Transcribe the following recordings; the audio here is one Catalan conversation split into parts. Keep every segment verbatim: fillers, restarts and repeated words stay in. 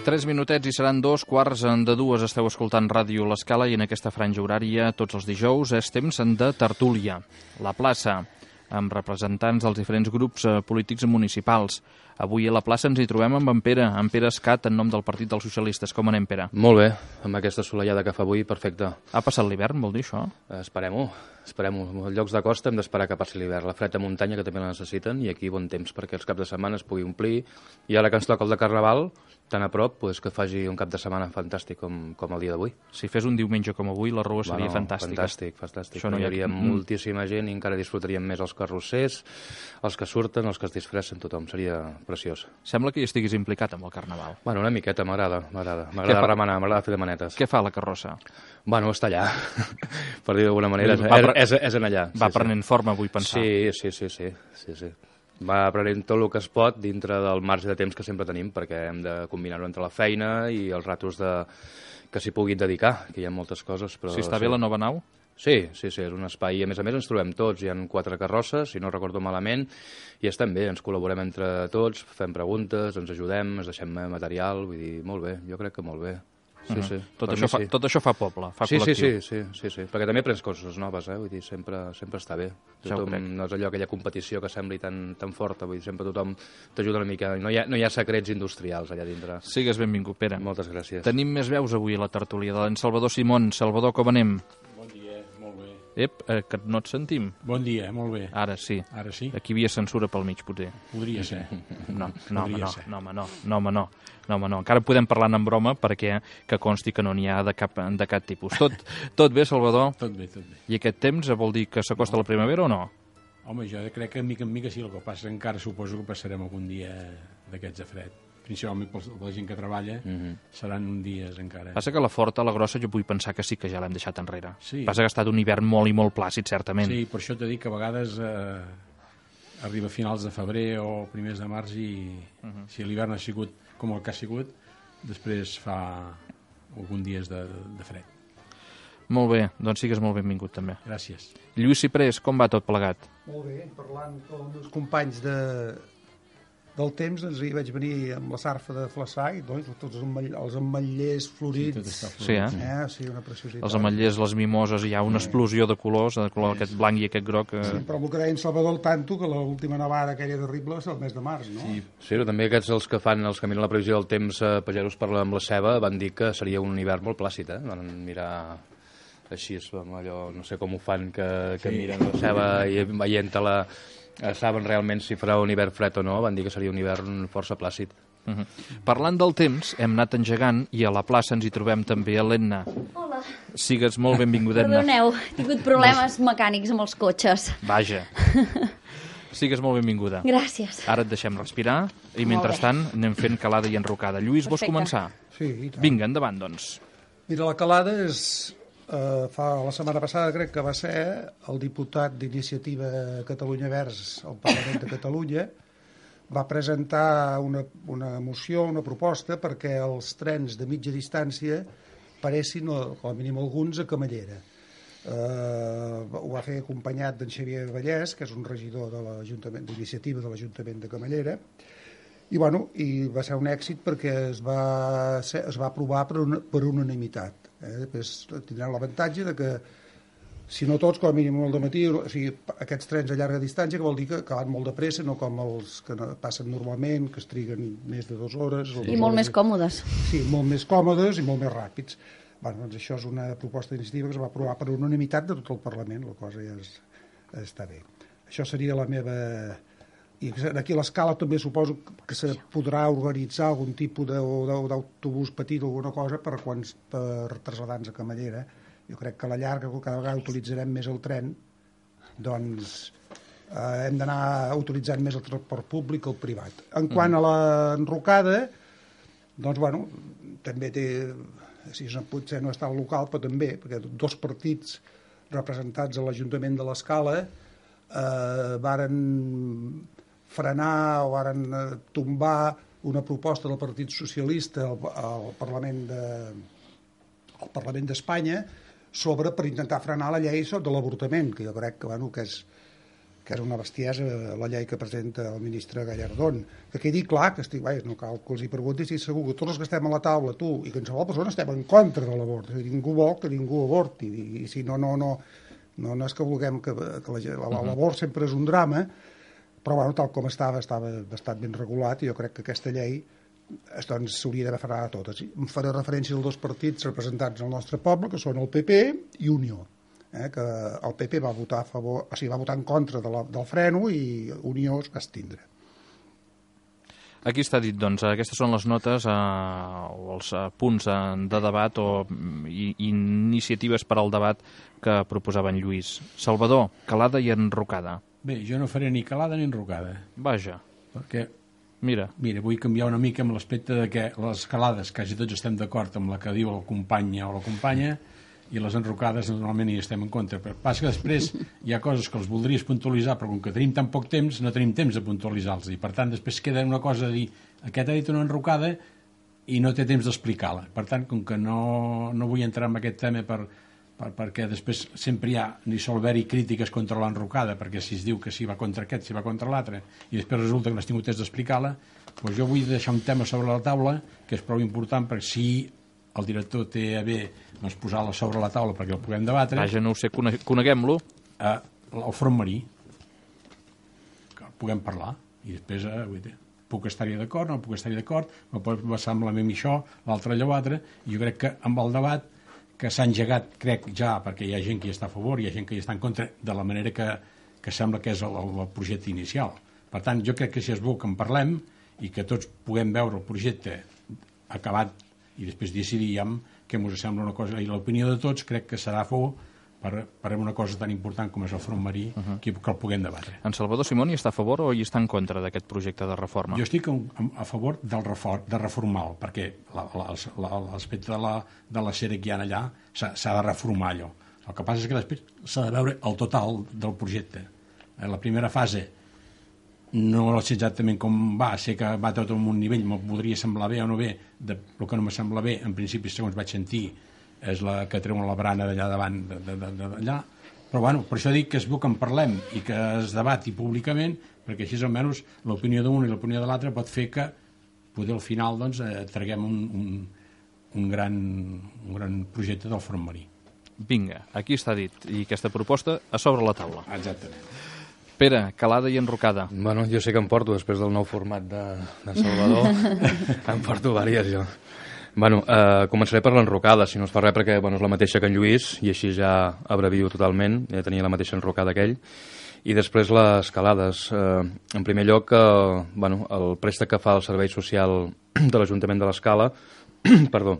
Tres minutets i seran dos quarts de dues. Esteu escoltant Ràdio L'Escala i en aquesta franja horària, tots els dijous, és temps de tertúlia. La plaça, amb representants dels diferents grups polítics municipals. Avui a la plaça ens hi trobem amb en Pere, en Pere Escat, en nom del Partit dels Socialistes. Com anem, Pere? Molt bé, amb aquesta assolellada que fa avui, perfecte. Ha passat l'hivern, vol dir això? Esperem-ho, esperem-ho. En llocs de costa hem d'esperar que passi l'hivern. La fred de muntanya, que també la necessiten, i aquí bon temps perquè els caps de setmana es pugui omplir. I ara que ens toca el de Carnaval, tan a prop, pues, que faci un cap de setmana fantàstic com, com el dia d'avui. Si fes un diumenge com avui, la rua seria bueno, fantàstica. Fantàstic, fantàstic. Això no hi hi ha... hauria moltíssima gent i encara disfrutaríem més els carrossers, els que surten, els que es disfressen, tothom. Seria preciós. Sembla que hi estiguis implicat amb el Carnaval. Bueno, una miqueta, m'agrada, m'agrada. M'agrada remenar, m'agrada fer de manetes. Què fa la carrossa? Bueno, està allà, per dir d'alguna manera, és, pre... és, és en allà. Va sí, prenent sí. forma, vull pensar. Sí, sí, sí, sí, sí, sí. Va aprenent tot el que es pot dintre del marge de temps que sempre tenim, perquè hem de combinar-ho entre la feina i els ratos de... que s'hi puguin dedicar, que hi ha moltes coses. Però si està sí. bé la nova nau? Sí, sí, sí, és un espai. I a més a més ens trobem tots, hi ha quatre carrosses, si no recordo malament, i estem bé, ens col·laborem entre tots, fem preguntes, ens ajudem, ens deixem material, vull dir, molt bé, jo crec que molt bé. Sí, uh -huh. sí. Tot, això fa, sí. tot això fa poble, fa sí, col·lectiu. Sí, sí, sí, sí, sí, perquè també aprens coses noves, eh? Vull dir, sempre, sempre està bé. Tothom, no és allò, aquella competició que sembli tan, tan forta, vull dir, sempre tothom t'ajuda una mica. No hi, ha, no hi ha secrets industrials allà dintre. Sigues benvingut, Pere. Moltes gràcies. Tenim més veus avui a la tertúlia de l'en Salvador Simón. Salvador, com anem? Bon dia, molt bé. Ep, eh, que no et sentim. Bon dia, molt bé. Ara sí. Ara sí? Aquí hi havia censura pel mig, potser. Podria ser. No, no, home, Podria no, ser. no, home, no, no, home, no. No, home, no. Encara podem parlar en broma perquè que consti que no n'hi ha de cap, de cap tipus. Tot, tot bé, Salvador? Tot bé, tot bé. I aquest temps vol dir que s'acosta no. la primavera o no? Home, jo crec que mica en mica sí, el que passa encara suposo que passarem algun dia d'aquests de fred. Principalment per la gent que treballa, mm-hmm. seran uns dies encara. Passa que la forta, la grossa, jo vull pensar que sí que ja l'hem deixat enrere. Sí. Passa que ha estat un hivern molt i molt plàcid, certament. Sí, per això t'he dit que a vegades eh, arriba a finals de febrer o primers de març i uh-huh. si l'hivern ha sigut com el que ha sigut, després fa alguns dies de, de fred. Molt bé, doncs sigues molt benvingut també. Gràcies. Lluís Ciprés, com va tot plegat? Molt bé, parlant amb els meus companys de, del temps, doncs hi vaig venir amb la sarfa de Flaçà i doncs, tots els, ametll els ametllers florits. Sí, sí, eh? eh? Sí, una preciositat. Els ametllers, les mimoses, hi ha una explosió de colors, de color aquest blanc i aquest groc. Eh... Sí, però el que deia en Salvador el tanto, que l'última nevada aquella terrible va ser el mes de març, no? Sí, sí, però també aquests els que fan els que miren la previsió del temps, eh, pagesos parlen amb la ceba, van dir que seria un hivern molt plàcid, eh? Van mirar així, amb allò, no sé com ho fan, que, que sí. miren la ceba i veient-te la... saben realment si farà un hivern fred o no, van dir que seria un hivern força plàcid. Uh -huh. Parlant del temps, hem anat engegant i a la plaça ens hi trobem també a l'Enna. Hola. Sigues molt benvinguda, Enna. Perdoneu, he tingut problemes mecànics amb els cotxes. Vaja. Sigues molt benvinguda. Gràcies. Ara et deixem respirar i mentrestant anem fent calada i enrocada. Lluís, vols començar? Sí, i tant. Vinga, endavant, doncs. Mira, la calada és... Uh, fa la setmana passada crec que va ser el diputat d'Iniciativa Catalunya Verds al Parlament de Catalunya va presentar una, una moció, una proposta perquè els trens de mitja distància paressin, com a mínim alguns, a Camallera. Uh, ho va fer acompanyat d'en Xavier Vallès, que és un regidor de l'Ajuntament d'Iniciativa de l'Ajuntament de Camallera, i, bueno, i va ser un èxit perquè es va, ser, es va aprovar per, una, per unanimitat. Eh? Després tindran l'avantatge de que, si no tots, com a mínim el dematí, o sigui, aquests trens a llarga distància, que vol dir que, que van molt de pressa, no com els que passen normalment, que es triguen més de dues hores. I molt més còmodes. Sí, molt més còmodes i molt més ràpids. Bueno, doncs això és una proposta d'iniciativa que es va aprovar per unanimitat de tot el Parlament, la cosa ja és, està bé. Això seria la meva... I aquí a l'Escala també suposo que se podrà organitzar algun tipus d'autobús petit o alguna cosa per, quan, per traslladar-nos a Camallera. Jo crec que a la llarga, cada vegada utilitzarem més el tren, doncs eh, hem d'anar utilitzant més el transport públic que el privat. En quant a l'enrocada, doncs, bueno, també té, si potser no està al local, però també, perquè dos partits representats a l'Ajuntament de l'Escala eh, varen frenar o varen tombar una proposta del Partit Socialista al, al Parlament de, al Parlament d'Espanya sobre per intentar frenar la llei de l'avortament, que jo crec que, bueno, que és que és una bestiesa la llei que presenta el ministre Gallardón. Que quedi clar que estic, vai, no cal que els hi pregunti si segur que tots els que estem a la taula, tu i qualsevol persona, estem en contra de l'avort. Ningú vol que ningú avorti. I, i si no, no, no, no, no és que vulguem que, que l'avort sempre és un drama, però bueno, tal com estava, estava bastant ben regulat i jo crec que aquesta llei doncs s'hauria d'haver frenat a totes. Em faré referència als dos partits representats al nostre poble, que són el P P i Unió. Eh, que el P P va votar a favor, o sigui, va votar en contra de la, del freno i Unió es va estindre. Aquí està dit, doncs, aquestes són les notes eh, o els eh, punts eh, de debat o i, iniciatives per al debat que proposava en Lluís. Salvador, calada i enrocada. Bé, jo no faré ni calada ni enrocada. Vaja. Perquè, mira, mira, vull canviar una mica amb l'aspecte de que les calades, quasi tots estem d'acord amb la que diu el company o la companya, i les enrocades normalment hi estem en contra. Però passa que després hi ha coses que els voldries puntualitzar, però com que tenim tan poc temps, no tenim temps de puntualitzar-los. I per tant, després queda una cosa de dir aquest ha dit una enrocada i no té temps d'explicar-la. Per tant, com que no, no vull entrar en aquest tema per, per, perquè després sempre hi ha, ni sol haver-hi crítiques contra l'enrocada, perquè si es diu que si va contra aquest, si va contra l'altre, i després resulta que no has tingut temps d'explicar-la, doncs jo vull deixar un tema sobre la taula que és prou important, perquè si el director té a bé doncs, posar-la sobre la taula perquè el puguem debatre. Vaja, no ho sé, coneguem-lo. Eh, el front marí, que el puguem parlar, i després eh, vull dir, puc estar-hi d'acord, no puc estar-hi d'acord, me pot semblar a mi això, l'altre allò altre, i jo crec que amb el debat que s'ha engegat, crec ja, perquè hi ha gent que hi està a favor, hi ha gent que hi està en contra, de la manera que, que sembla que és el, el projecte inicial. Per tant, jo crec que si és bo que en parlem i que tots puguem veure el projecte acabat i després decidiríem què ens sembla una cosa, i l'opinió de tots crec que serà bo per, per una cosa tan important com és el front marí, uh -huh. que, que el puguem debatre. En Salvador Simón hi està a favor o hi està en contra d'aquest projecte de reforma? Jo estic a favor del refor, de reformar-lo, perquè l'aspecte de la, de la sèrie que hi ha allà s'ha de reformar allò. El que passa és que després s'ha de veure el total del projecte. La primera fase no sé exactament com va, sé que va tot en un nivell, me podria semblar bé o no bé, de, el que no me sembla bé, en principi, segons vaig sentir, és la que treuen la barana d'allà davant, d'allà, però bueno, per això dic que és bo que en parlem i que es debati públicament, perquè així almenys l'opinió d'un i l'opinió de l'altre pot fer que poder al final doncs, eh, traguem un, un, un, gran, un gran projecte del front marí. Vinga, aquí està dit, i aquesta proposta a sobre la taula. Exactament. Pere, calada i enrocada. Bueno, jo sé que em porto, després del nou format de, de Salvador, em porto diverses, jo. Bueno, eh, començaré per l'enrocada, si no es fa res, perquè bueno, és la mateixa que en Lluís, i així ja abrevio totalment, ja tenia la mateixa enrocada que ell. I després les calades. Eh, en primer lloc, eh, bueno, el préstec que fa el Servei Social de l'Ajuntament de l'Escala, perdó,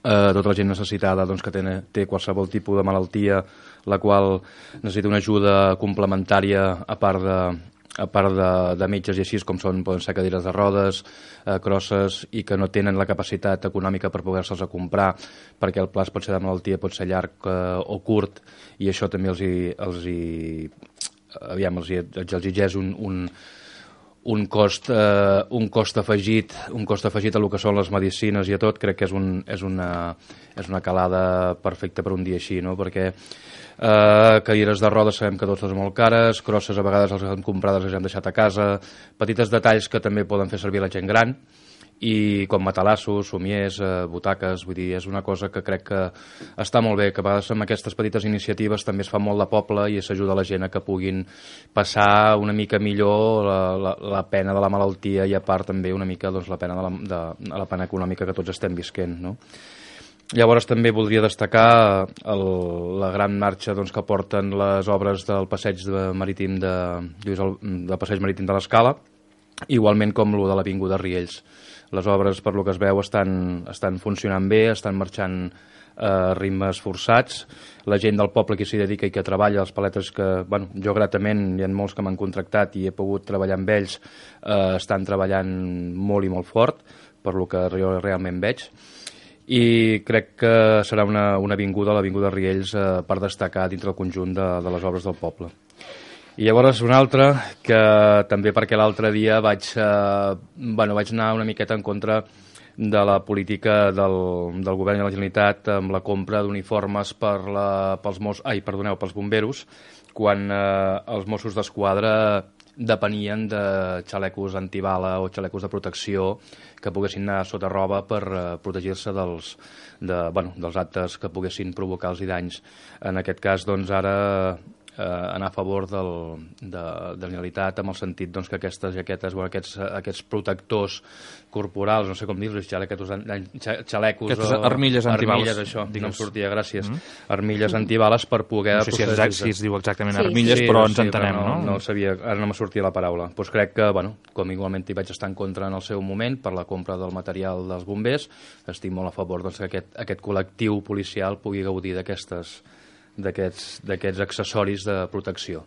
eh, tota la gent necessitada doncs, que té, té qualsevol tipus de malaltia, la qual necessita una ajuda complementària a part de, a part de, de metges i així, com són, poden ser cadires de rodes, eh, crosses, i que no tenen la capacitat econòmica per poder-se'ls a comprar, perquè el pla pot ser de malaltia, pot ser llarg eh, o curt, i això també els hi, els hi, aviam, els hi, els exigeix un, un, un cost, eh, un cost afegit, un cost afegit a lo que són les medicines i a tot. Crec que és, un, és, una, és una calada perfecta per un dia així, no? Perquè eh, cadires de rodes sabem que tots són molt cares, crosses a vegades les hem comprades, les hem deixat a casa, petites detalls que també poden fer servir la gent gran, i com matalassos, somiers, eh, butaques, vull dir, és una cosa que crec que està molt bé, que a vegades amb aquestes petites iniciatives també es fa molt de poble i s'ajuda la gent a que puguin passar una mica millor la, la, la pena de la malaltia i a part també una mica doncs, la pena de la, de, la pena econòmica que tots estem visquent, no? Llavors també voldria destacar el, la gran marxa doncs, que porten les obres del passeig de marítim de, del passeig marítim de l'Escala, igualment com lo de l'Avinguda Riells. Les obres, per lo que es veu, estan, estan funcionant bé, estan marxant a eh, ritmes forçats. La gent del poble que s'hi dedica i que treballa, els paletes que, bueno, jo gratament, hi ha molts que m'han contractat i he pogut treballar amb ells, eh, estan treballant molt i molt fort, per lo que jo realment veig. I crec que serà una, una avinguda, l'Avinguda Riells, eh, per destacar dintre del conjunt de, de les obres del poble. I llavors una altra, que també perquè l'altre dia vaig, eh, bueno, vaig anar una miqueta en contra de la política del, del govern de la Generalitat amb la compra d'uniformes per la, pels, mos, ai, perdoneu, pels bomberos, quan eh, els Mossos d'Esquadra depenien de xalecos antibala o xalecos de protecció que poguessin anar sota roba per uh, protegir-se dels, de, bueno, dels actes que poguessin provocar-los danys. En aquest cas, doncs, ara eh, anar a favor del, de, de la Generalitat amb el sentit doncs, que aquestes jaquetes, bueno, aquests, aquests protectors corporals, no sé com dir-los, xalecos, xalecos aquestes o armilles antibales. Armilles, això, digues. No em sortia, gràcies. Mm -hmm. Armilles antibales per poder... No sé si, exact, si es diu exactament sí, armilles, sí, però no, ens sí, entenem, però no? no? No sabia, ara no me sortia la paraula. Doncs crec que, bueno, com igualment hi vaig estar en contra en el seu moment per la compra del material dels bombers, estic molt a favor doncs, que aquest, aquest col·lectiu policial pugui gaudir d'aquestes d'aquests accessoris de protecció.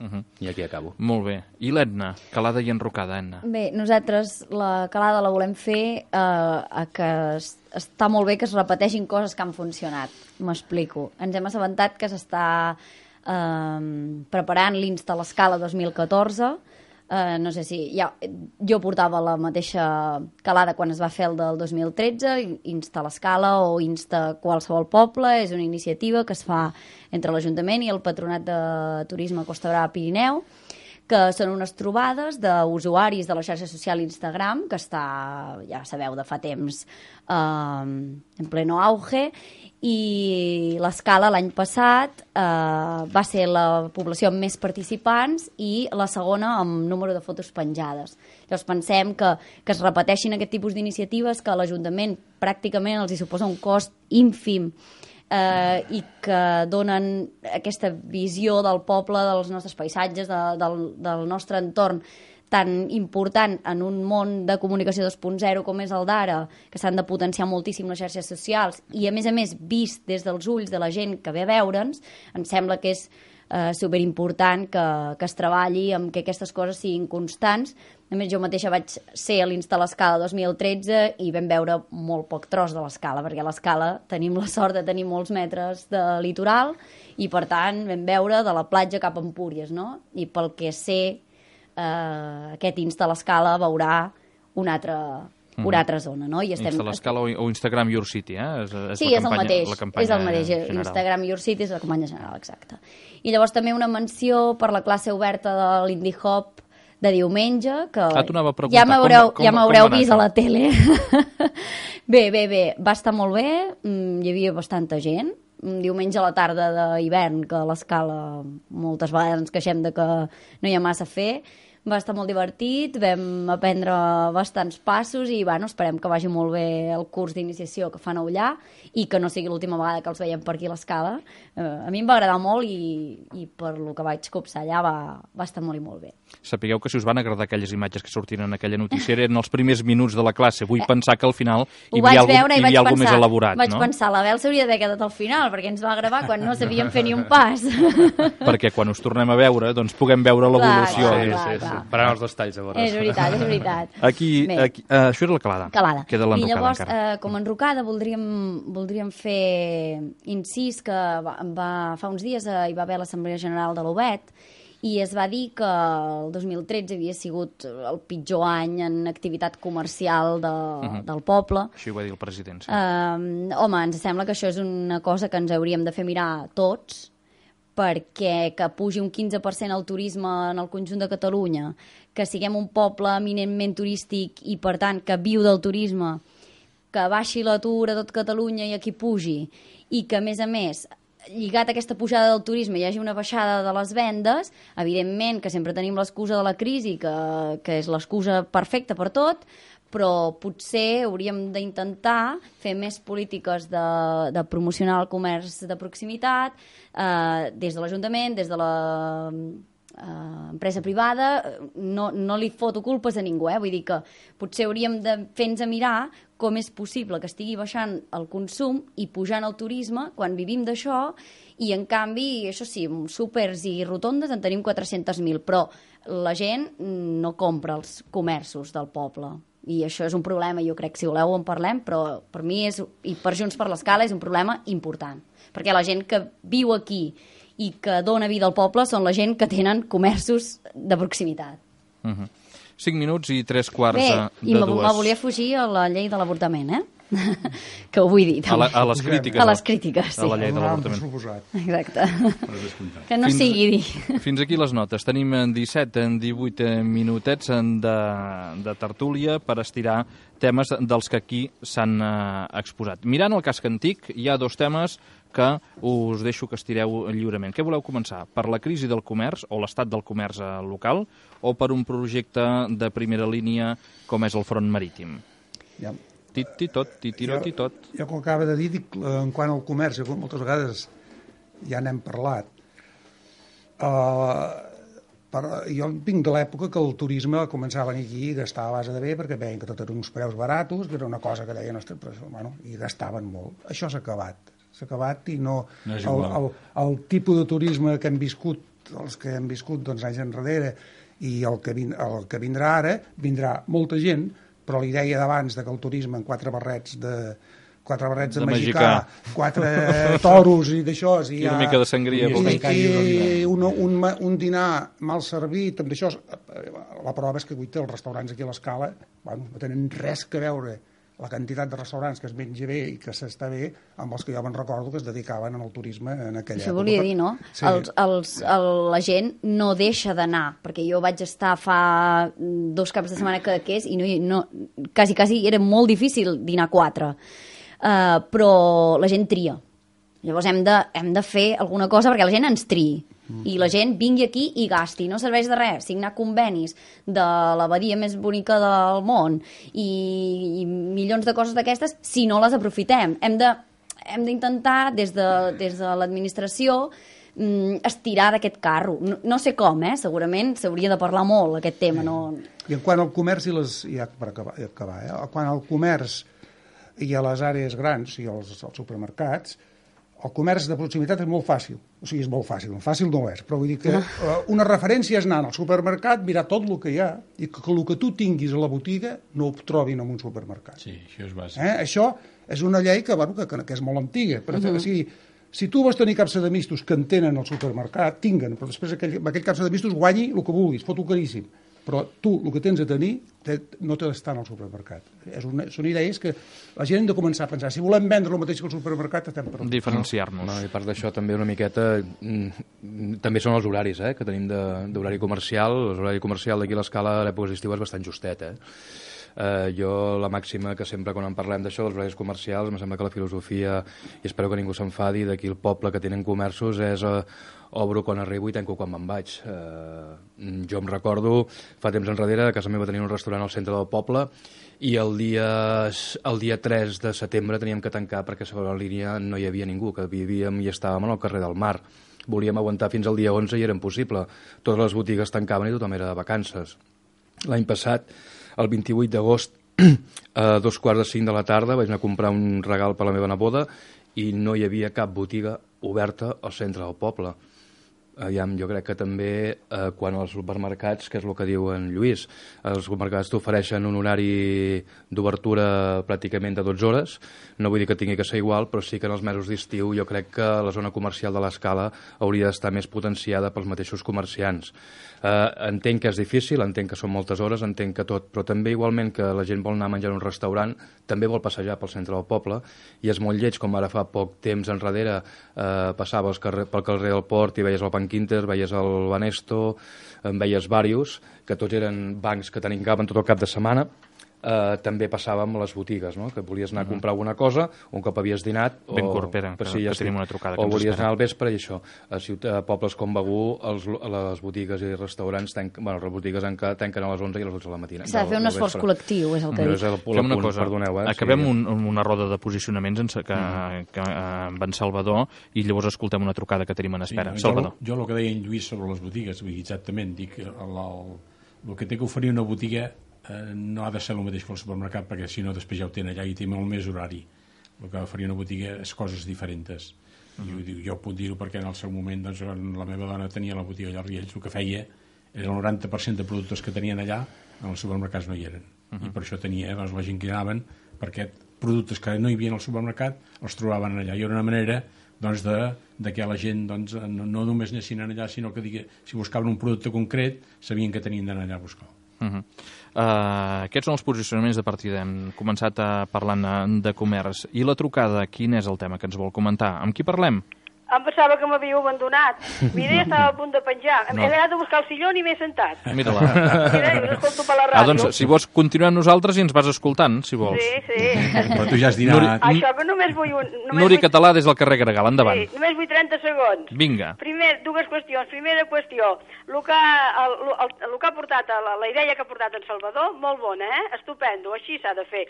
Uh -huh. I aquí acabo. Molt bé. I l'Edna? Calada i enrocada, Edna. Bé, nosaltres la calada la volem fer eh, que es, està molt bé que es repeteixin coses que han funcionat. M'explico. Ens hem assabentat que s'està eh, preparant l'Insta a l'Escala dos mil catorze. Uh, no sé si... Ja, jo portava la mateixa calada quan es va fer el del dos mil tretze, Insta l'Escala o Insta qualsevol poble. És una iniciativa que es fa entre l'Ajuntament i el Patronat de Turisme Costa Brava Pirineu, que són unes trobades d'usuaris de la xarxa social Instagram, que està, ja sabeu, de fa temps uh, en pleno auge, i l'Escala l'any passat eh, va ser la població amb més participants i la segona amb número de fotos penjades. Llavors pensem que, que es repeteixin aquest tipus d'iniciatives que a l'Ajuntament pràcticament els hi suposa un cost ínfim eh, i que donen aquesta visió del poble, dels nostres paisatges, de, del, del nostre entorn tan important en un món de comunicació dos punt zero com és el d'ara, que s'han de potenciar moltíssim les xarxes socials i, a més a més, vist des dels ulls de la gent que ve a veure'ns, em sembla que és eh, superimportant que, que es treballi amb que aquestes coses siguin constants. A més, jo mateixa vaig ser a l'Insta l'Escala dos mil tretze i vam veure molt poc tros de l'Escala, perquè a l'Escala tenim la sort de tenir molts metres de litoral i, per tant, vam veure de la platja cap a Empúries, no? I pel que sé, Uh, aquest Insta a l'Escala veurà una altra, mm. una altra zona, no? I estem... Insta a l'Escala o, o Instagram Your City, eh? És, és sí, la és campanya, el mateix, la campanya és el mateix. general. Instagram Your City és la campanya general, exacte. I llavors també una menció per la classe oberta de l'Indie Hop de diumenge, que ah, t'ho anava a preguntar. ja m'haureu com, com, ja m'haureu com vist a la tele. bé, bé, bé, va estar molt bé, hi havia bastanta gent. Un diumenge a la tarda d'hivern, que a l'Escala moltes vegades ens queixem de que no hi ha massa a fer. Va estar molt divertit, vam aprendre bastants passos i bueno, esperem que vagi molt bé el curs d'iniciació que fan allà i que no sigui l'última vegada que els veiem per aquí a l'Escala. Uh, a mi em va agradar molt i, i per lo que vaig copsar allà va, va estar molt i molt bé. Sapigueu que si us van agradar aquelles imatges que sortien en aquella notícia eren els primers minuts de la classe. Vull eh, pensar que al final hi havia algú, hi havia algú més elaborat, vaig no? Vaig pensar, la Bel s'hauria d'haver quedat al final perquè ens va gravar quan no sabíem fer ni un pas. Perquè quan us tornem a veure doncs puguem veure l'evolució. Clar, Sí, clar, sí, clar. sí. Per anar als detalls, llavors. És veritat, és veritat. Aquí, aquí uh, això era la calada. Calada. Queda I l'enrocada llavors, encara. eh, com a enrocada, voldríem, voldríem fer incís que va, va, fa uns dies eh, hi va haver l'Assemblea General de l'U B E T i es va dir que el dos mil tretze havia sigut el pitjor any en activitat comercial de, uh -huh. del poble. Així ho va dir el president, sí. Eh, home, ens sembla que això és una cosa que ens hauríem de fer mirar tots, perquè que pugi un quinze per cent el turisme en el conjunt de Catalunya, que siguem un poble eminentment turístic i, per tant, que viu del turisme, que baixi l'atur a tot Catalunya i aquí pugi, i que, a més a més, lligat a aquesta pujada del turisme hi hagi una baixada de les vendes, evidentment que sempre tenim l'excusa de la crisi, que, que és l'excusa perfecta per tot, però potser hauríem d'intentar fer més polítiques de, de promocionar el comerç de proximitat eh, des de l'Ajuntament, des de la eh, empresa privada. No, no li foto culpes a ningú, eh? Vull dir que potser hauríem de fer-nos a mirar com és possible que estigui baixant el consum i pujant el turisme quan vivim d'això i, en canvi, això sí, súpers i rotondes en tenim quatre-cents mil, però la gent no compra els comerços del poble. I això és un problema, jo crec, si voleu en parlem, però per mi és, i per Junts per l'Escala és un problema important, perquè la gent que viu aquí i que dona vida al poble són la gent que tenen comerços de proximitat. Uh-huh. Cinc minuts i tres quarts Bé, de i me, dues. me volia fugir a la llei de l'avortament, eh? Que ho vull dir, A, la, també. a les crítiques. A les crítiques, sí. A la llei de Donàvem per l'avortament. suposat. Exacte. Que no Fins- sigui dir. Fins aquí les notes. Tenim en disset, en divuit minutets de, de tertúlia per estirar temes dels que aquí s'han eh, exposat. Mirant el casc antic, hi ha dos temes que us deixo que estireu lliurement. Què voleu començar? Per la crisi del comerç o l'estat del comerç eh, local o per un projecte de primera línia com és el front marítim? Ja. Tit-ti-tot, titirot-ti-tot. Jo, com acaba de dir, dic, eh, en quant al comerç, jo moltes vegades ja n'hem parlat. Uh, per, jo vinc de l'època que el turisme començava a venir aquí i gastava a base de bé perquè veien que tot eren uns preus baratos, que era una cosa que deien, ostres, però, bueno, i gastaven molt. Això s'ha acabat. S'ha acabat i no... No és el, igual. el, el tipus de turisme que hem viscut, els que hem viscut doncs, anys enrere, i el que, vin, el que vindrà ara, vindrà molta gent, però la idea d'abans de que el turisme en quatre barrets de quatre barrets de, De magicà, magicà. quatre toros i d'això... I una mica de sangria. I vol dir. I, i un, un, ma- un dinar mal servit, amb d'això, la prova és que avui té els restaurants aquí a l'Escala, bueno, no tenen res que veure la quantitat de restaurants que es menja bé i que s'està bé amb els que jo me'n recordo que es dedicaven al turisme en aquella Això època. volia dir, no? Sí. Els, els, el, la gent no deixa d'anar, perquè jo vaig estar fa dos caps de setmana que és i no, no, quasi, quasi era molt difícil dinar quatre. Uh, però la gent tria. Llavors hem de, hem de fer alguna cosa perquè la gent ens triï. I la gent vingui aquí i gasti. No serveix de res signar convenis de la badia més bonica del món i, i milions de coses d'aquestes si no les aprofitem. Hem de, hem d'intentar des de, des de l'administració mm, estirar d'aquest carro. No, no sé com, eh? Segurament s'hauria de parlar molt aquest tema. No... I en quant al comerç i les... Ja, per acabar, ja acabar eh? Quan al comerç i a les àrees grans i als, als supermercats, el comerç de proximitat és molt fàcil. O sigui, és molt fàcil. Fàcil no és, però vull dir que uh, una referència és anar al supermercat, mirar tot el que hi ha, i que, que el que tu tinguis a la botiga no ho trobin en un supermercat. Sí, això és bàsic. Eh? Això és una llei que, bueno, que, que és molt antiga. Però, uh-huh. si, si tu vols tenir capsa de mistos que en tenen al supermercat, tinguen, però després aquell, aquell capsa de mistos guanyi el que vulguis, fot-ho caríssim. Però tu el que tens a tenir te, no té d'estar al supermercat. És una, són idees que la gent hem de començar a pensar. Si volem vendre el mateix que el supermercat, estem per... Diferenciar-nos. No, i a part d'això també una miqueta mm, també són els horaris eh, que tenim de- d'horari comercial. L'horari comercial d'aquí a l'Escala a l'època d'estiu és bastant justet. Eh? Uh, jo la màxima que sempre quan en parlem d'això dels horaris comercials em sembla que la filosofia, i espero que ningú s'enfadi, d'aquí el poble que tenen comerços és uh, obro quan arribo i tanco quan me'n vaig. Uh, jo em recordo fa temps enrere a casa meva tenia un restaurant al centre del poble i el dia, el dia tres de setembre teníem que tancar perquè a segona línia no hi havia ningú, que vivíem i estàvem al carrer del Mar. Volíem aguantar fins al dia onze i era impossible. Totes les botigues tancaven i tothom era de vacances. L'any passat, el vint-i-vuit d'agost, a dos quarts de cinc de la tarda, vaig anar a comprar un regal per la meva neboda i no hi havia cap botiga oberta al centre del poble. Aviam, jo crec que també eh, quan als supermercats, que és el que diu en Lluís, els supermercats t'ofereixen un horari d'obertura pràcticament de dotze hores, no vull dir que tingui que ser igual, però sí que en els mesos d'estiu jo crec que la zona comercial de l'Escala hauria d'estar més potenciada pels mateixos comerciants. Eh, entenc que és difícil, entenc que són moltes hores, entenc que tot, però també igualment que la gent vol anar a menjar en un restaurant, també vol passejar pel centre del poble, i és molt lleig, com ara fa poc temps enrere eh, passaves carrer, pel carrer del Port i veies el Banc Inter, veies el Banesto, en veies varios, que tots eren bancs que tancaven tot el cap de setmana. Eh, també passàvem a les botigues, no? Que volies anar a comprar alguna cosa, un cop havies dinat, o, Bencorpera, que- sí, que ja tenim estic. una trucada que o ens volies espera. anar al vespre i això. A, ciutat, a pobles com Begur, els, les botigues i restaurants tanquen, bueno, les botigues enca- tanquen a les onze i a les dotze de la matina. S'ha de fer un del esforç vespre. col·lectiu, és el que Però dic. és el, el Fem una punt, cosa, perdoneu, eh? acabem Sí. un, una roda de posicionaments en, que, mm. que, eh, amb en Salvador i llavors escoltem una trucada que tenim en espera. Sí, Salvador. Jo, jo el que deia en Lluís sobre les botigues, vull dir, exactament, dic, el, el, el que té que oferir una botiga eh, no ha de ser el mateix que el supermercat, perquè si no després ja ho tenen allà i té molt més horari. El que oferir una botiga és coses diferents. Uh -huh. I ho dic, jo puc dir-ho perquè en el seu moment doncs, quan la meva dona tenia la botiga allà a Riells, el que feia era el noranta per cent de productes que tenien allà, en els supermercats no hi eren. Uh -huh. I per això tenia doncs, la gent que anaven, perquè productes que no hi havia al supermercat els trobaven allà. I era una manera doncs de, de que la gent doncs, no, no només anessin allà, sinó que digui, si buscaven un producte concret, sabien que tenien d'anar allà a buscar. Uh -huh. uh, aquests són els posicionaments de partida. Hem començat a parlant de comerç. I la trucada, quin és el tema que ens vol comentar? Amb qui parlem? Em pensava que m'havíeu abandonat. Mira, ja estava a punt de penjar. No. He anat a buscar el sillón i m'he sentat. Mira-la. Mira, us escolto per la ràdio. Ah, doncs, si vols continuar amb nosaltres i ens vas escoltant, si vols. Sí, sí. Però tu ja has dinat... Nuri... Això que només vull... Un, només Nuri vull... Català des del carrer Gregal, endavant. Sí, només vull trenta segons. Vinga. Primer, dues qüestions. Primera qüestió, el que, el, el, el que ha portat, la, la idea que ha portat en Salvador, molt bona, eh? Estupendo, així s'ha de fer.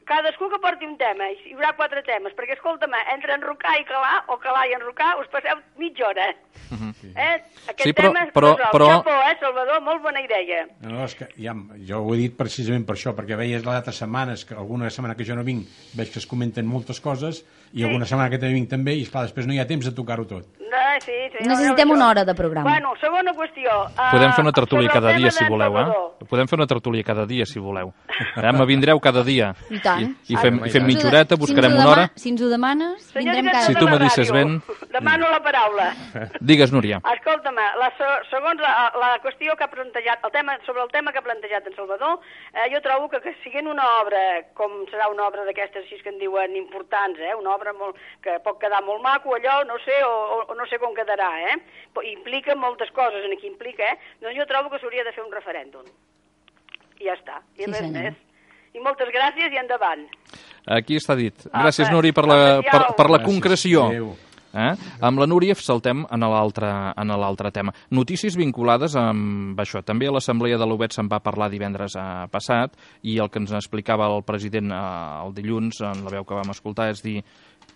Cadascú que porti un tema, hi haurà quatre temes, perquè, escolta'm, entre enrocar i calar, o calar i enrocar, us passeu mitja hora. Uh -huh. eh? Aquest sí, però, tema és però, casual. però... Xapó, eh, Salvador? Molt bona idea. No, és que ja, jo ho he dit precisament per això, perquè veies les altres setmanes, que alguna setmana que jo no vinc, veig que es comenten moltes coses, i sí. alguna setmana que també vinc també, i esclar, després no hi ha temps de tocar-ho tot. No, sí, sí, Necessitem no, no, una hora de programa. Bueno, segona qüestió. Uh, Podem fer una tertúlia cada dia, si voleu, Salvador. eh? Podem fer una tertúlia cada dia, si voleu. Eh? Me vindreu cada dia. I tant. I, i fem, Ah, i fem Si ens mitja ho de- horeta, buscarem si ens ho una hora. dema- Si ens ho demanes, Senyor vindrem director cada Si de tu la me deixes ràdio, ben. Demano la paraula. Digues, Núria. Escolta'm, la, segons la, la qüestió que ha plantejat, el tema, sobre el tema que ha plantejat en Salvador, eh, jo trobo que, que siguent una obra, com serà una obra d'aquestes així que en diuen importants, eh, una obra molt, que pot quedar molt maco, allò, no sé, o, o no sé com quedarà, eh? Implica moltes coses en aquí, implica, eh? Doncs jo trobo que s'hauria de fer un referèndum. I ja està, i Sí, res senyor. més. I moltes gràcies i endavant. Aquí està dit. Ah, Gràcies, per- Nuri, per la, per, per la Gràcies. concreció. Adéu. Eh? Amb la Núria saltem en l'altre en l'altre tema. Notícies vinculades amb això. També a l'Assemblea de l'U B E T se'n va parlar divendres eh, passat i el que ens explicava el president eh, el dilluns, en la veu que vam escoltar, és dir,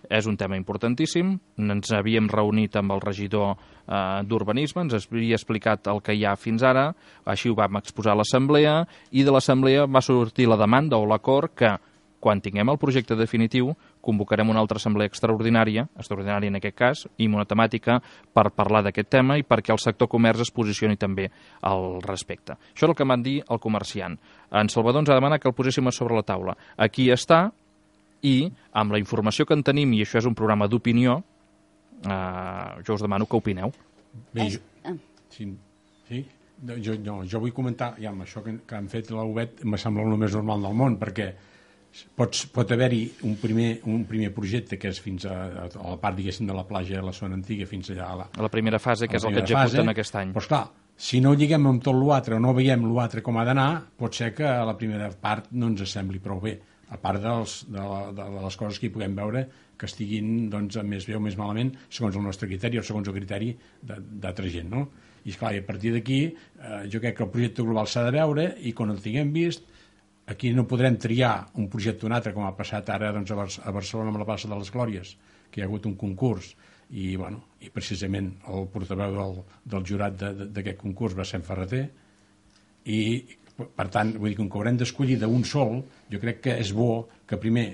és un tema importantíssim. Ens havíem reunit amb el regidor eh, d'Urbanisme, ens havia explicat el que hi ha fins ara, així ho vam exposar a l'Assemblea, i de l'Assemblea va sortir la demanda o l'acord que quan tinguem el projecte definitiu, convocarem una altra assemblea extraordinària, extraordinària en aquest cas, i amb una temàtica per parlar d'aquest tema i perquè el sector comerç es posicioni també al respecte. Això és el que em van dir el comerciant. En Salvador ens ha demanat que el poséssim a sobre la taula. Aquí està, i amb la informació que en tenim, i això és un programa d'opinió, eh, jo us demano que opineu. Bé, jo, sí, sí? Jo, no, jo vull comentar, ja, amb això que, que han fet la U B E T, em sembla el més normal del món, perquè pots, pot haver-hi un primer, un primer projecte que és fins a, a la part, diguéssim, de la platja de la zona antiga, fins allà a la, A la primera fase, que a és la el que primera executen fase. aquest any. Però, esclar, si no lliguem amb tot l'altre o no veiem l'altre com ha d'anar, pot ser que a la primera part no ens sembli prou bé, a part dels, de, la, de les coses que hi puguem veure que estiguin doncs, més bé o més malament segons el nostre criteri o segons el criteri d'altra gent, no? I, esclar, i a partir d'aquí eh, jo crec que el projecte global s'ha de veure i quan el tinguem vist aquí no podrem triar un projecte o un altre com ha passat ara doncs, a, Bar a Barcelona amb la plaça de les Glòries, que hi ha hagut un concurs i, bueno, i precisament el portaveu del, del jurat d'aquest concurs va ser en Ferreter i per tant, vull dir, com que haurem d'escollir d'un sol, jo crec que és bo que primer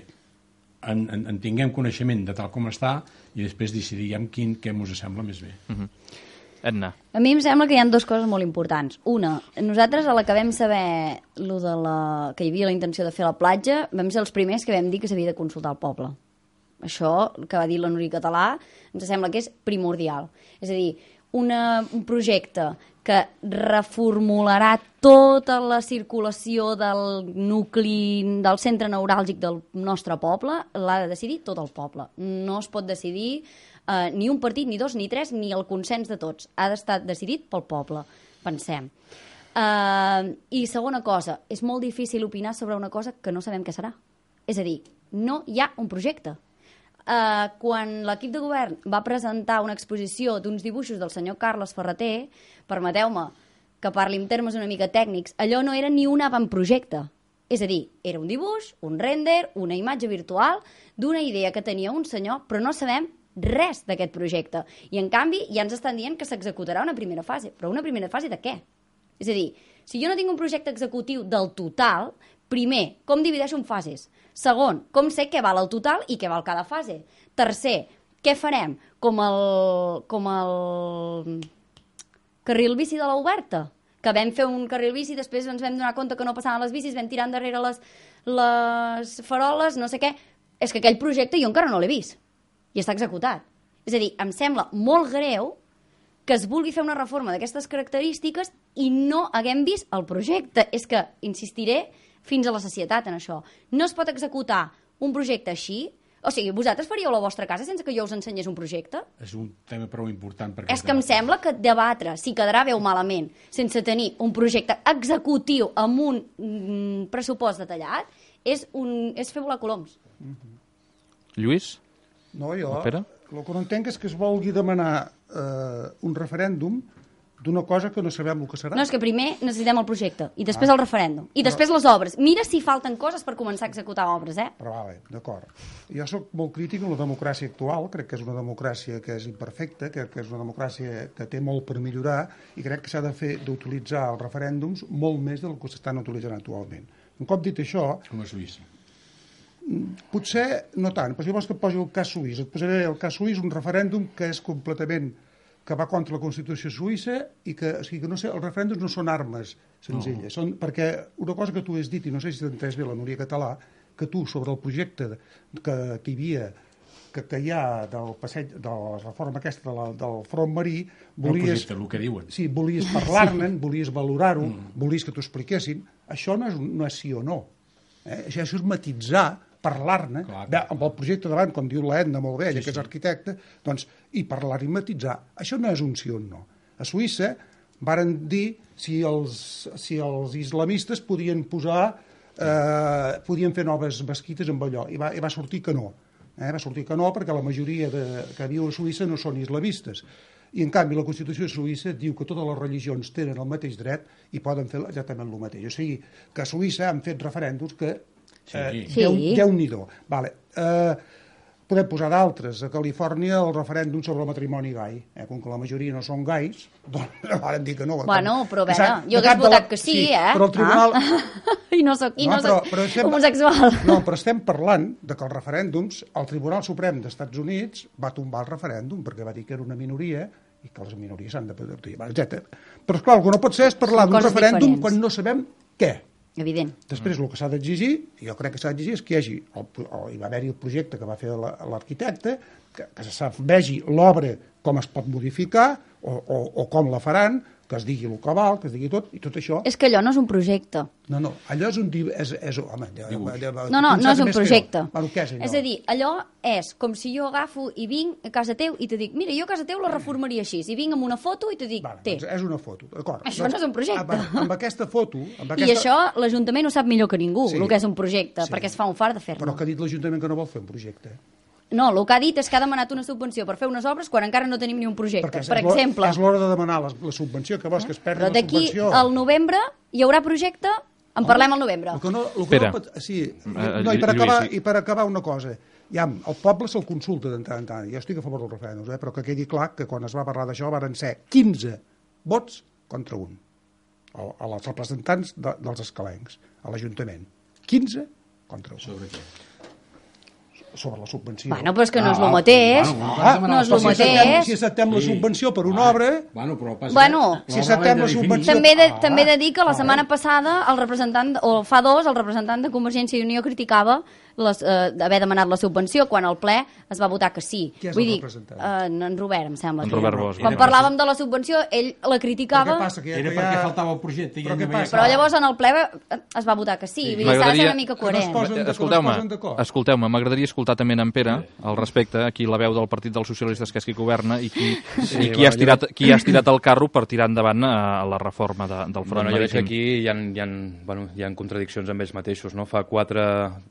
en, en, en tinguem coneixement de tal com està i després decidim quin què ens sembla més bé. Uh-huh. Edna. A mi em sembla que hi ha dues coses molt importants. Una, nosaltres a la que vam saber lo de la, que hi havia la intenció de fer la platja, vam ser els primers que vam dir que s'havia de consultar el poble. Això, que va dir la Núria Català, ens sembla que és primordial. És a dir, una, un projecte que reformularà tota la circulació del nucli, del centre neuràlgic del nostre poble, l'ha de decidir tot el poble. No es pot decidir eh, ni un partit, ni dos, ni tres, ni el consens de tots. Ha d'estar decidit pel poble, pensem. Eh, I segona cosa, és molt difícil opinar sobre una cosa que no sabem què serà. És a dir, no hi ha un projecte. Uh, quan l'equip de govern va presentar una exposició d'uns dibuixos del senyor Carles Ferreter, permeteu-me que parli en termes una mica tècnics, allò no era ni un avantprojecte. És a dir, era un dibuix, un render, una imatge virtual d'una idea que tenia un senyor, però no sabem res d'aquest projecte. I en canvi ja ens estan dient que s'executarà una primera fase. Però una primera fase de què? És a dir, si jo no tinc un projecte executiu del total, primer, com divideixo en fases? Segon, com sé què val el total i què val cada fase? Tercer, què farem? Com el, com el carril bici de l'Oberta, que vam fer un carril bici, després ens vam donar compte que no passaven les bicis, vam tirar endarrere les, les faroles, no sé què. És que aquell projecte jo encara no l'he vist i està executat. És a dir, em sembla molt greu que es vulgui fer una reforma d'aquestes característiques i no haguem vist el projecte. És que insistiré fins a la sacietat en això. No es pot executar un projecte així. O sigui, vosaltres faríeu la vostra casa sense que jo us ensenyés un projecte? És un tema prou important. Perquè és que em sembla que debatre si quedarà bé o malament sense tenir un projecte executiu amb un mm, pressupost detallat és, un, és fer volar coloms. Mm-hmm. Lluís? No, jo Espera. el que no entenc és que es vulgui demanar eh, un referèndum d'una cosa que no sabem el que serà. No, és que primer necessitem el projecte, i després ah. el referèndum, i després les obres. Mira si falten coses per començar a executar obres, eh? Però vale, d'acord. Jo sóc molt crític amb la democràcia actual, crec que és una democràcia que és imperfecta, crec que és una democràcia que té molt per millorar, i crec que s'ha de fer d'utilitzar els referèndums molt més del que s'estan utilitzant actualment. Un cop dit això... Com a Suïssa. Potser no tant, però si vols que et posi el cas suís, et posaré el cas suís, un referèndum que és completament que va contra la Constitució suïssa i que, o sigui, que no sé, els referèndums no són armes senzilles, no. Són, perquè una cosa que tu has dit, i no sé si t'ha entès bé la Núria Català, que tu sobre el projecte que, que hi havia, que, que hi ha del passeig, de la reforma aquesta de la, del front marí, volies... El projecte, el que diuen. Sí, volies parlar-ne, sí. Volies valorar-ho, mm. Volies que t'ho expliquessin. Això no és, no és sí o no. Eh? Això, això és matitzar, parlar-ne, amb el projecte davant, com diu l'Edna molt bé, ella sí, que és arquitecte, doncs, i parlar i matitzar. Això no és un sí o un no. A Suïssa varen dir si els, si els islamistes podien posar, eh, podien fer noves mesquites amb allò, i va, i va sortir que no. Eh? Va sortir que no, perquè la majoria de, que viu a Suïssa no són islamistes. I, en canvi, la Constitució suïssa diu que totes les religions tenen el mateix dret i poden fer exactament el mateix. O sigui, que a Suïssa han fet referèndums que Eh, sí. Déu, Déu-n'hi-do. Vale. Eh, podem posar d'altres. A Califòrnia el referèndum sobre el matrimoni gai. Eh, com que la majoria no són gais, doncs van dir que no. Bueno, però a veure, jo hagués votat la... que sí, sí, eh? Però el tribunal... Ah. I no soc, i no, no però, soc però estem... homosexual. No, però estem parlant de que els referèndums, el Tribunal Suprem dels Estats Units va tombar el referèndum perquè va dir que era una minoria i que les minories s'han de poder dir, etcètera. Però, esclar, el que no pot ser és parlar d'un referèndum diferents. Quan no sabem què. Evident. Després, el que s'ha d'exigir, jo crec que s'ha d'exigir, és que hi hagi, el, o hi va haver-hi el projecte que va fer l'arquitecte, que, que se vegi l'obra com es pot modificar o, o, o com la faran, que es digui el que val, que es digui tot, i tot això... És que allò no és un projecte. No, no, allò és un... És, és, home, no, no, no és un projecte. Bueno, què és allò? És a dir, allò és com si jo agafo i vinc a casa teu i te dic, mira, jo a casa teu la reformaria així, i vinc amb una foto i te dic, vale, té. Doncs és una foto, d'acord. Això no és un projecte. Amb, amb aquesta foto... Amb aquesta... I això l'Ajuntament ho sap millor que ningú, sí, el que és un projecte, sí. Perquè es fa un fart de fer-ne. Però que ha dit l'Ajuntament que no vol fer un projecte. No, el que ha dit és que ha demanat una subvenció per fer unes obres quan encara no tenim ni un projecte, perquè per exemple. És l'hora de demanar la, la subvenció, que vols que es perdi la subvenció. Però d'aquí al novembre hi haurà projecte, en Home, parlem al novembre. El que no, el que no, sí, no, i, per acabar, I per acabar una cosa, ja, el poble se'l consulta de tant en tant, jo estic a favor del referèndum, eh, però que quedi clar que quan es va parlar d'això varen ser quinze vots contra un, a, a els representants de, dels escalencs, a l'Ajuntament. quinze contra un. Sobre què? Sobre la subvenció. Bueno, però és que no és el mateix. Bueno, ah, no és el mateix. Si acceptem la subvenció per una obra... Bueno, però passa... Bueno, si acceptem la subvenció... També de, ah, també he de dir que la setmana ah, passada el representant, o fa dos, el representant de Convergència i Unió criticava les, eh, d'haver demanat la subvenció quan al ple es va votar que sí. Qui és Vull el dir, representant? Eh, en Robert, em sembla. En Robert Bosch. Quan parlàvem de la subvenció, ell la criticava... Però què passa? Que ja, era perquè ja... faltava el projecte. Però, què passa? Però llavors en el ple es va votar que sí. sí. Vull dir, s'ha de ser una mica coherent. Escolteu-me, escolteu-me, m'agradaria escoltar també en Pere al respecte, aquí la veu del Partit dels Socialistes, que és qui governa, i qui, sí, i qui, ha estirat, qui ha estirat el carro per tirar endavant a la reforma de, del front bueno, marítim. Jo veig que aquí hi ha, hi, ha, bueno, hi ha contradiccions amb ells mateixos. No? Fa quatre,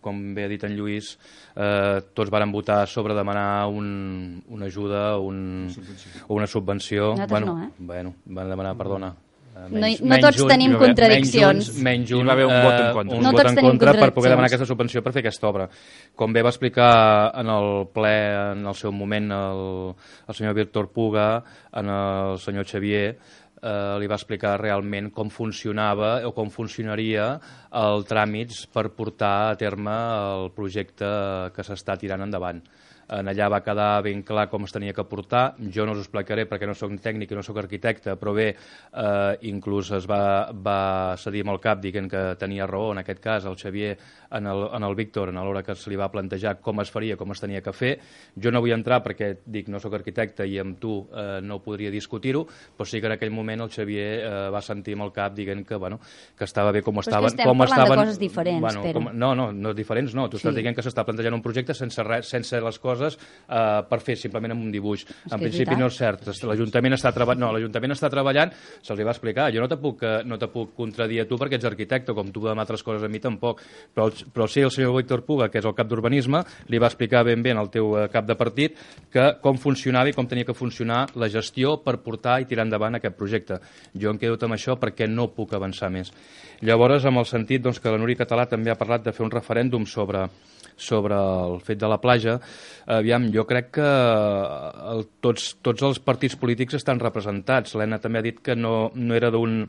com bé ha dit en Lluís, eh, tots varen votar sobre demanar un, una ajuda un, o una subvenció. Nosaltres bueno, no, eh? Bueno, van demanar, perdona. Menys, no, no tots un, tenim contradiccions. Menys un, hi va haver un vot en contra, un no vot en contra per poder demanar aquesta subvenció per fer aquesta obra. Com bé va explicar en el ple, en el seu moment, el, el senyor Víctor Puga, en el senyor Xavier, eh, li va explicar realment com funcionava o com funcionaria el tràmits per portar a terme el projecte que s'està tirant endavant. En allà va quedar ben clar com es tenia que portar. Jo no us ho explicaré perquè no soc tècnic i no soc arquitecte, però bé, eh, inclús es va, va cedir amb el cap dient que tenia raó, en aquest cas, el Xavier en el, en el Víctor, en l'hora que se li va plantejar com es faria, com es tenia que fer. Jo no vull entrar perquè, dic, no soc arquitecte i amb tu eh, no podria discutir-ho, però sí que en aquell moment el Xavier eh, va sentir amb el cap dient que, bueno, que estava bé com estaven. Però és que estem com parlant estaven, de coses diferents, bueno, Pere. com, no, no, no diferents no. Tu Sí. estàs dient que s'està plantejant un projecte sense, res, sense les coses Uh, per fer simplement amb un dibuix. En principi no és cert. L'Ajuntament està, treba... no, l'Ajuntament està treballant, se'ls va explicar. Jo no te puc, no te puc contradir a tu perquè ets arquitecte, com tu amb altres coses a mi tampoc. Però, però sí, el senyor Víctor Puga, que és el cap d'urbanisme, li va explicar ben bé al teu cap de partit que com funcionava i com tenia que funcionar la gestió per portar i tirar endavant aquest projecte. Jo em quedo amb això perquè no puc avançar més. Llavors, amb el sentit doncs, que la Núria Català també ha parlat de fer un referèndum sobre sobre el fet de la platja, aviam, jo crec que el, tots, tots els partits polítics estan representats. L'Helena també ha dit que no, no era d'un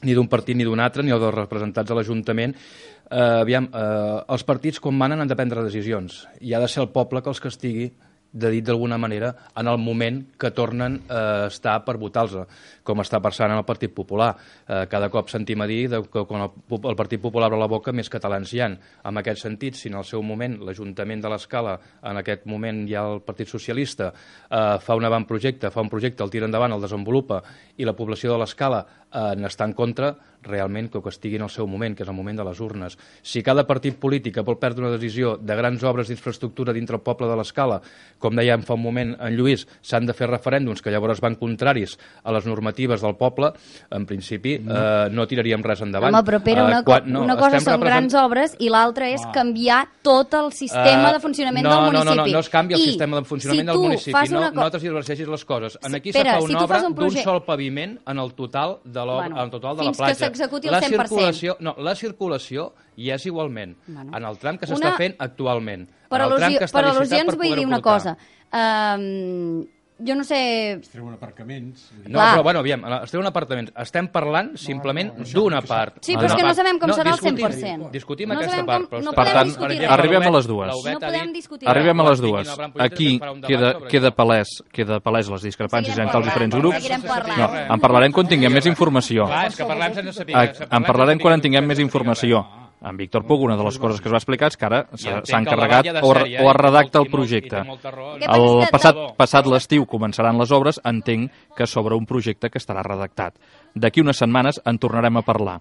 ni d'un partit ni d'un altre, ni els representats a l'Ajuntament. Eh, aviam, eh, els partits quan manen han de prendre decisions i ha de ser el poble que els castigui, de dit d'alguna manera, en el moment que tornen a estar per votar-los, com està passant en el Partit Popular. Eh, cada cop sentim a dir que quan el, el Partit Popular obre la boca més catalans hi ha. En aquest sentit, si en el seu moment l'Ajuntament de l'Escala, en aquest moment hi ha el Partit Socialista, eh, fa un avantprojecte, fa un projecte, el tira endavant, el desenvolupa, i la població de l'Escala eh, n'està en contra, realment que ho castigui en el seu moment, que és el moment de les urnes. Si cada partit polític vol perdre una decisió de grans obres d'infraestructura dintre el poble de l'Escala, com dèiem fa un moment en Lluís, s'han de fer referèndums que llavors van contraris a les normatives del poble, en principi no, eh, no tiraríem res endavant. Home, però Pere, una, eh, quan, no, una cosa són represent... grans obres i l'altra és canviar tot el sistema uh, de funcionament no, del municipi. No, no, no, no es canvia el I sistema de funcionament si del municipi, no, una... no t'esvergeixis les coses. En aquí Pere, se fa una si obra un d'un proje... sol paviment en el total de, bueno, en el total de la platja. Fins que s'executi el la cent per cent. Circulació, no, la circulació hi és igualment, bueno, en el tram que s'està una... fent actualment. Per, al·lusi... per al·lusions per vull dir una cosa. Um, jo no sé... Es treuen aparcaments. No, Clar. però, bueno, aviam, es treuen apartaments. Estem parlant simplement no, no, no, d'una part. Sí, però és que no sabem com no, serà el cent per cent. Discutim no aquesta part. Com, no per tant, discutir arribem a les dues. No podem discutir arribem a les dues. Aquí queda, queda, palès, queda palès les discrepàncies entre els diferents grups. No, en parlarem quan tinguem més informació. Clar, és que parlem sense saber. En parlarem quan en tinguem més informació. En Víctor Puga, una de les coses que es va explicar és que ara s'ha encarregat o, o es redacta el projecte. El passat, passat l'estiu començaran les obres, entenc que sobre un projecte que estarà redactat. D'aquí unes setmanes en tornarem a parlar.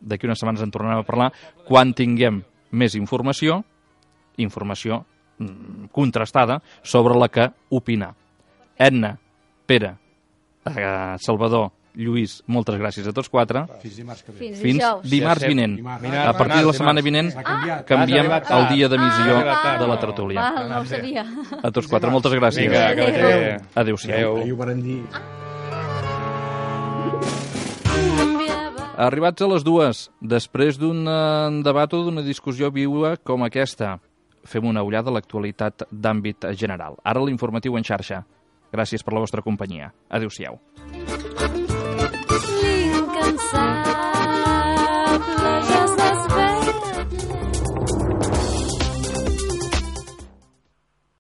D'aquí unes setmanes en tornarem a parlar quan tinguem més informació, informació mm, contrastada, sobre la que opinar. Edna, Pere, eh, Salvador, Lluís, moltes gràcies a tots quatre. Fins dimarts que ve. Fins, Fins dijous. dimarts vinent. A partir de la setmana vinent canviem el dia d'emissió de la tertúlia. Ah, no ho sabia. A tots quatre, moltes gràcies. Vinga, adéu-siau. Ahir ho van dir. Arribats a les dues, després d'un debat o d'una discussió viua com aquesta, fem una ullada a l'actualitat d'àmbit general. Ara l'informatiu en xarxa. Gràcies per la vostra companyia. Adéu-siau.